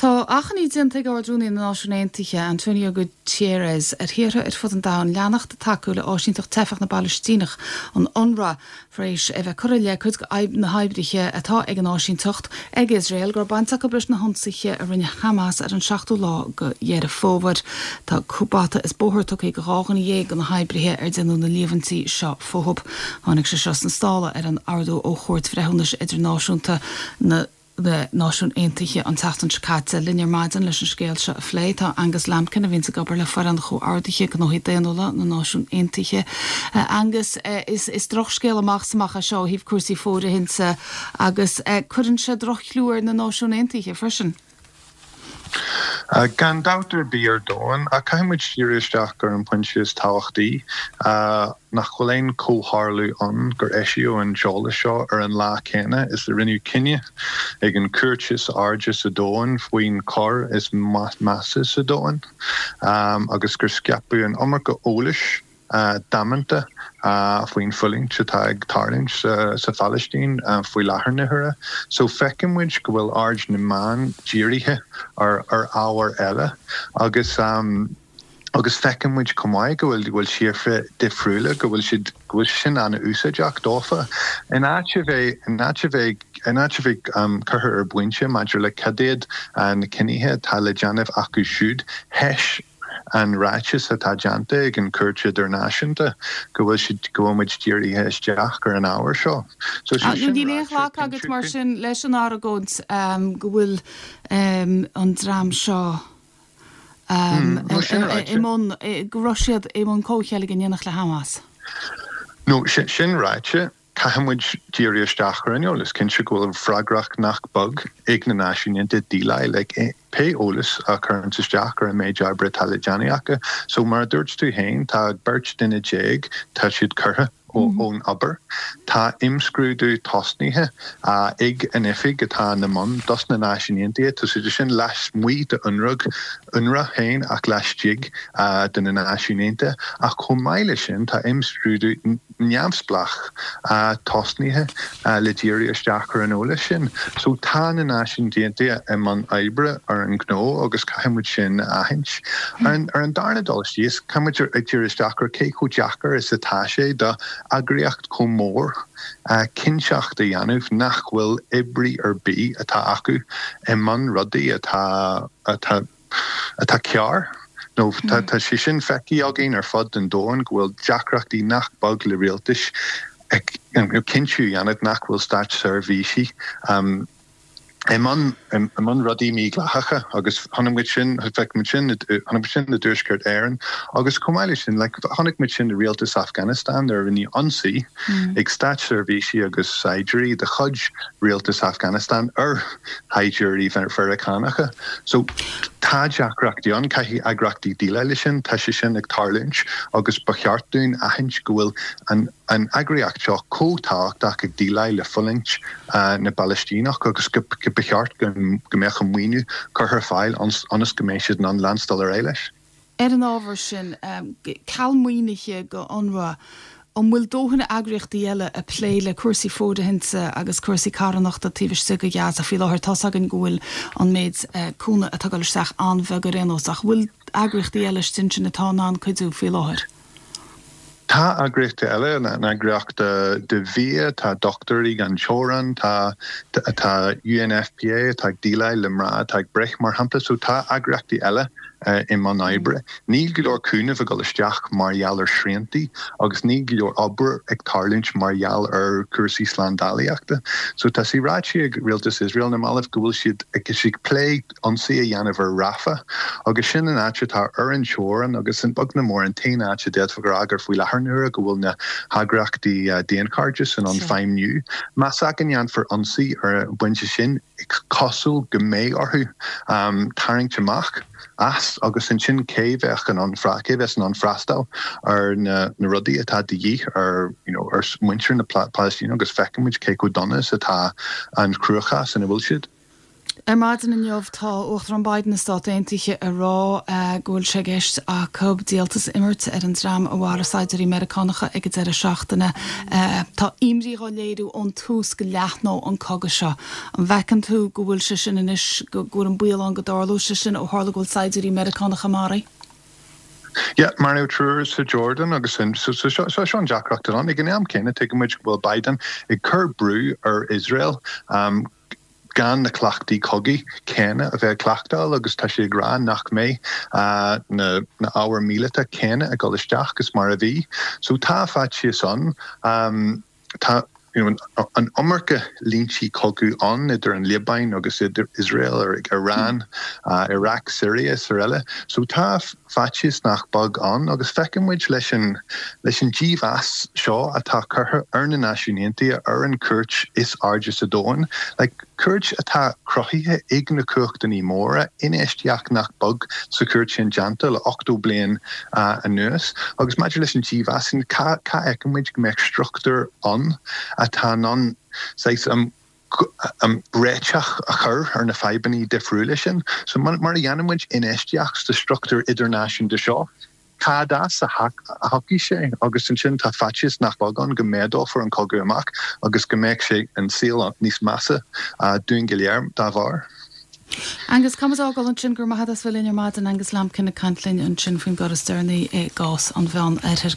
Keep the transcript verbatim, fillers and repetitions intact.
Tá achainí déanta ag Ard-Rúnaí na Náisiún Aontaithe, Antonio Guterres, ar thíortha ar fud an domhain leanacht ag tacú le áisínteacht teifeach na bPalaistíneach, an UNRWA, tar éis a bheith curtha i leith cuid de na hoibrithe atá ag an áisínteacht ag Iosrael go raibh baint acu leis na hionsaithe a rinne Hamas ar an seachtú lá de Dheireadh Fómhair. Tá bata is bóthar tugtha do dhá dhuine dhéag de na hoibrithe ar déanadh na líomhaintí seo fúthu. Tháinig sé seo sna sála ar an ordú ó Chúirt Bhreithiúnais Idirnáisiúnta na na Náisiún Aontaithe an tseachtain seo caite. Linn ar maidin leis an scéal seo a phlé tá Angus Lambkin a bhíonn ag obair le foireann chomhordaithe gnóthaí daonnúla na Náisiún Aontaithe. Uh, Angus uh, is, is drochscéal amach is amach é seo ó thaobh cúrsaí fóirithinte agus uh, cuireann sé drochchlú ar na Náisiún Aontaithe freisin. Uh, gan dabht ar bith ar domhan a caithfimid díriú isteach ar an bpointe is tábhachtaí uh, nach bhfuil aon chomhtharlú ann gur eisíodh an t-eolas seo ar an lá céanna is a rinneadh cinneadh ag an chúirt is airde sa domhan faoin choir is measa sa domhan um, agus gur scaipeadh an iomarca eolais uh, damanta uh, faoin fhulaingt atá ag tarlúint sa, sa Phalaistín uh, faoi láthair na huaire. So feiceann muid go bhfuil aird na meán dírithe ar ar ábhar eile agus um, agus feiceann muid chomh maith go bhfuil bhfuil sífra difriúla go bhfuil siad go bhfuil sin an-úsáideach dófa. In áit a bheith in áit a bheith in áit a bheith um, curtha ar bpointe maidir le cad iad uh, na cinnithe atá le déanamh acu siúd théis an ráiteas atá déanta ag an Chúirt Idirnáisiúnta go bhfuil siad go bhfuil muid dírithe isteach ar an ábhar seo. So Ah, Níl aon ghlacadh agat mar sin leis an argóint um, go bhfuil um, an dream seo um, no, sin ráite. i mbun go raibh siad i mbun comhcheilg in éineacht le Hamas. No sin, sin ráite caithfimid díriú isteach ar an eolas cinnte go bhfuil freagracht nach beag ag na Náisiúin Aontaithe déileáil le pé eolas a chuireann isteach ar an méid oibre atá le déanamh acu. So mar a dúirt tú féin tá beirt duine déag tá siad curtha ón obair. Tá imscrúdú tosnaithe uh, ag an oifig atá ina mbun dos na Náisiúin Aontaithe, Tá sé sin lasmuigh de UNRWA UNRWA féin ach laistigh uh, de na Náisiúin Aontaithe ach chomh maith leis sin tá imscrúdú neamhspleách uh, tosnaithe uh, le díriú isteach ar an eolas sin. So tá na Náisiúin Aontaithe i mbun oibre ar an gnó agus caithfimid sin a aithint. Ar an, ar an darna dul síos caithfimid ag díriú isteach ar cé chomh deacair is atá sé do eagraíocht chomh mór uh, cinnteacht a dhéanamh nach bhfuil oibrí ar bith atá acu i mbun rudaí atá atá atá cearr. No tá tá sé sin feicthe againn ar fud an domhain go bhfuil deacrachtaí nach beag le rialtais ag cinntiú dhéanamh nach bhfuil státseirbhísigh um, i mbun i mbun rudaí mídhleathacha agus chonaic sin chonaic sin chonaic sin i dTuaisceart Éireann agus chomh maith sin like, chonaic muid sin i rialtas Afghanistan ar rinneadh ionsaí mm. ag státseirbhísigh agus saighdiúirí de chuid rialtas Afghanistan ar shaighdiúirí Mheiriceánacha. So tá deacrachtaí ann caithfidh eagraíochtaí déileáil leis sin tá sé sin ag tarlúint agus ba cheart dúinn aithint go bhfuil an an eagraíocht seo chomh tábhachtach ag déileáil le fulaingt uh, na bPalaistíneach agus go go ba cheart go go mbeadh an maoiniú curtha ar fáil ionas go mbeidh siad in ann leanstan ar aghaidh leis. Ar an ábhar sin um, ceal maoinithe go UNRWA, an bhfuil dóthain eagraíochtaí eile ag plé le cúrsaí fóirithinte agus cúrsaí carthanachta taobh istigh de Ghaza faoi láthair tá againn go bhfuil an méid uh, cúnamh atá ag dul isteach an-bheag ar aon nós ach bhfuil eagraíochtaí eile sin sin atá in ann cuidiú faoi láthair. Tá eagraíochtaí eile na eagraíocht de bhia tá Dochtúirí Gan Teorainn tá tá UNFPA tá déileáil le mná atá ag breith mar shampla so tá eagraíochtaí eile uh, i mbun oibre. Níl go leor cúnamh ag dul isteach mar gheall ar shriantaí agus níl go leor obair ag tarlúint mar gheall ar cúrsaí slándálaíochta. So tá sé ráite ag rialtas Israel na mallaibh go bhfuil siad ag siad plé ionsaí a dhéanamh ar Rafah agus sin an áit atá ar an teorainn agus an beag nó mór an t-aon áit a d'fhéadfá a rá gur faoi láthair nuair go bhfuil na heagraíochtaí uh, daonchairdis in ann feidhmiú. Más ea go ndéanfar ionsaí ar an bpointe sin cosúil go mbeidh orthu um, tarraingt amach as agus ansin cé bheadh in ann cé bheas in ann freastal ar na, na rudaí atá de dhíth ar you know, ar muintir na Palaistíne agus feicimid cé chomh dona is atá an cruachás ina bhfuil siad. Ar maidin inniu tá Uachtarán Biden na Stát Aontaithe ag rá go bhfuil sé i gceist acu díoltas a imirt ar an dream a mharaigh saighdiúirí Meiriceánacha ag an deireadh seachtaine. Tá imní á léiriú ón tús go leathnódh an cogadh seo. An bhfeiceann tú go bhfuil sé sin anois go bhfuil an baol ann go dtarlódh sé sin ó tharla go bhfuil saighdiúirí Meiriceánacha maraithe? Yeah, maraíodh triúr sa Jordan agus sin so so so seo an deacracht ann ag an am céanna tuigimid go bhfuil Biden ag cur brú ar Israel um, gan na cleachtaí cogaidh céanna a bheith ag cleachtáil agus tá sé ag rá nach mbeidh uh, na, na ábhair míleata céanna ag dul isteach agus mar a bhí. So tá faitíos ann um, tá you know, an iomarca línte cogaidh ann idir an Liobáin agus idir Israel ar Iran, uh, Iraq, Syria is araile. So tá faitíos nach beag ann agus feicimid leis an leis an dímheas seo atá curtha ar na Náisiúin Aontaithe ar an cúirt is airde sa domhan, like, cúirt atá cruthaithe ag na cumhachtaí móra infheistíocht nach beag sa chúirt sin déanta le ochtó bliain uh, anuas, agus maidir leis an dímheas sin cá fheicimid go mbeadh struchtúr ann atá an um, um, réiteach a chur ar na fadhbanna difriúla sin, so mar, mar a dhéanaimid infheistíocht sa struchtúr idirnáisiúnta seo. Cad as a thiocfaidh sé agus ansin tá faitíos nach beag ann go méadófar an cogadh amach agus go mbeidh sé an saol níos measa uh, dúinn go léir dá bharr. Angus Camas ágáil ansin gur maith as bhfuil ar maidin Angus Lambkin ag caint linn ansin faoin gcor is deireanaí i gcás an Mheánoirthir.